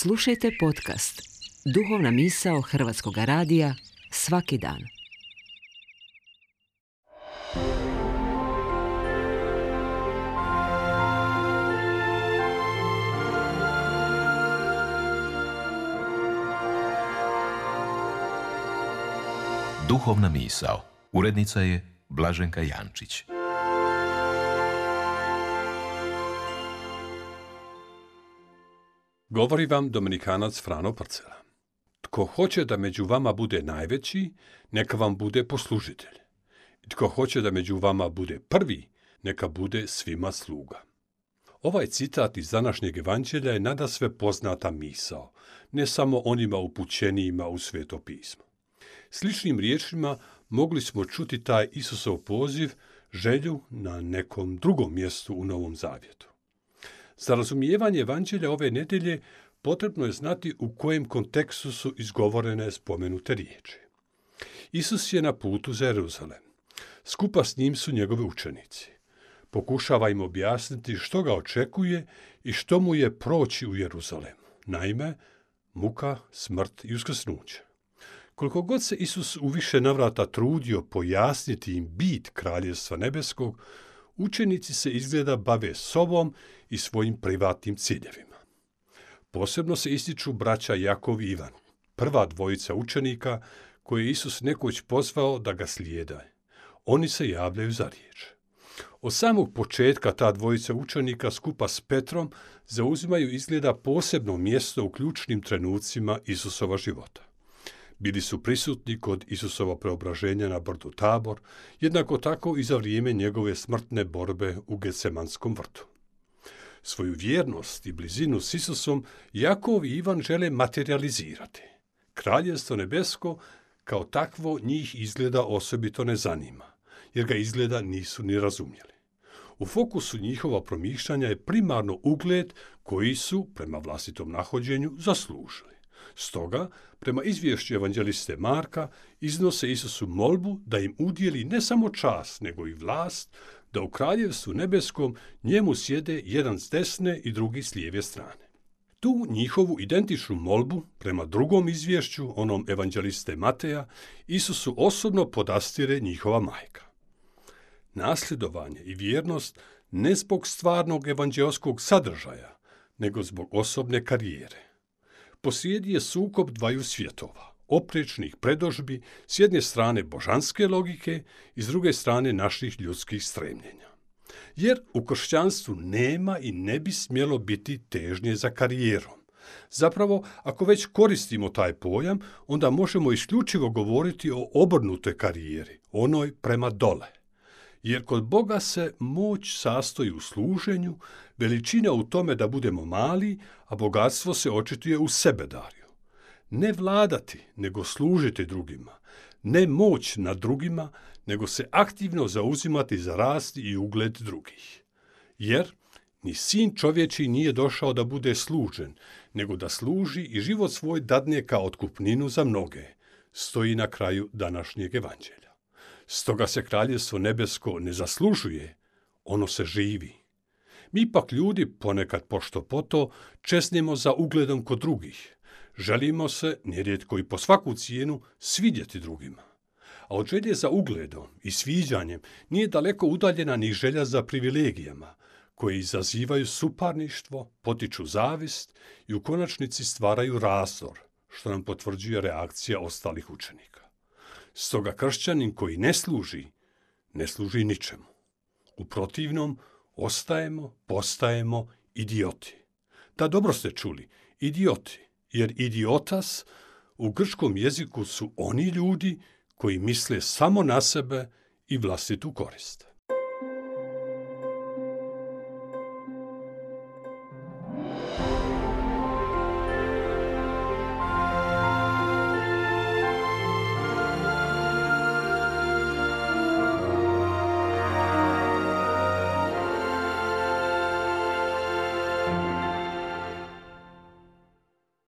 Slušajte podcast Duhovna misao Hrvatskog radija svaki dan. Duhovna misao. Urednica je Blaženka Jančić. Govori vam Dominikanac Frano Prcela. Tko hoće da među vama bude najveći, neka vam bude poslužitelj. I tko hoće da među vama bude prvi, neka bude svima sluga. Ovaj citat iz današnjeg evanđelja je nadasve poznata misao, ne samo onima upućenijima u Sveto pismo. Sličnim riječima mogli smo čuti taj Isusov poziv, želju na nekom drugom mjestu u Novom Zavjetu. Za razumijevanje evanđelja ove nedjelje potrebno je znati u kojem kontekstu su izgovorene spomenute riječi. Isus je na putu za Jeruzalem. Skupa s njim su njegovi učenici. Pokušava im objasniti što ga očekuje i što mu je proći u Jeruzalemu. Naime, muka, smrt i uskrsnuće. Koliko god se Isus u više navrata trudio pojasniti im bit Kraljevstva nebeskog, učenici se izgleda bave sobom i svojim privatnim ciljevima. Posebno se ističu braća Jakov i Ivan, prva dvojica učenika koje je Isus nekoć pozvao da ga slijede. Oni se javljaju za riječ. Od samog početka ta dvojica učenika skupa s Petrom zauzimaju izgleda posebno mjesto u ključnim trenucima Isusova života. Bili su prisutni kod Isusova preobraženja na brdu Tabor, jednako tako i za vrijeme njegove smrtne borbe u Getsemanskom vrtu. Svoju vjernost i blizinu s Isusom Jakov i Ivan žele materializirati. Kraljevstvo nebesko kao takvo njih izgleda osobito ne zanima, jer ga izgleda nisu ni razumjeli. U fokusu njihova promišljanja je primarno ugled koji su, prema vlastitom nahođenju, zaslužili. Stoga, prema izvješću evanđeliste Marka, iznose Isusu molbu da im udjeli ne samo čast, nego i vlast, da u Kraljevstvu nebeskom njemu sjede jedan s desne i drugi s lijeve strane. Tu njihovu identičnu molbu, prema drugom izvješću, onom evanđeliste Mateja, Isusu osobno podastire njihova majka. Nasljedovanje i vjernost ne zbog stvarnog evanđelskog sadržaja, nego zbog osobne karijere. Posrijedi je sukob dvaju svjetova, oprečnih predodžbi, s jedne strane božanske logike i s druge strane naših ljudskih stremljenja. Jer u kršćanstvu nema i ne bi smjelo biti težnje za karijerom. Zapravo, ako već koristimo taj pojam, onda možemo isključivo govoriti o obrnutoj karijeri, onoj prema dole. Jer kod Boga se moć sastoji u služenju, veličina u tome da budemo mali, a bogatstvo se očituje u sebedarju. Ne vladati, nego služiti drugima. Ne moć nad drugima, nego se aktivno zauzimati za rast i ugled drugih. Jer ni sin čovječiji nije došao da bude služen, nego da služi i život svoj dadne kao otkupninu za mnoge, stoji na kraju današnjeg evanđelja. Stoga se Kraljevstvo nebesko ne zaslužuje, ono se živi. Mi pak ljudi ponekad pošto poto česnemo za ugledom kod drugih. Želimo se, nerijetko i po svaku cijenu, svidjeti drugima. A od želje za ugledom i sviđanjem nije daleko udaljena ni želja za privilegijama, koje izazivaju suparništvo, potiču zavist i u konačnici stvaraju razdor, što nam potvrđuje reakcija ostalih učenika. Stoga kršćanin koji ne služi ničemu. U protivnom, postajemo idioti. Da, dobro ste čuli, idioti, jer idiotas u grčkom jeziku su oni ljudi koji misle samo na sebe i vlastitu korist.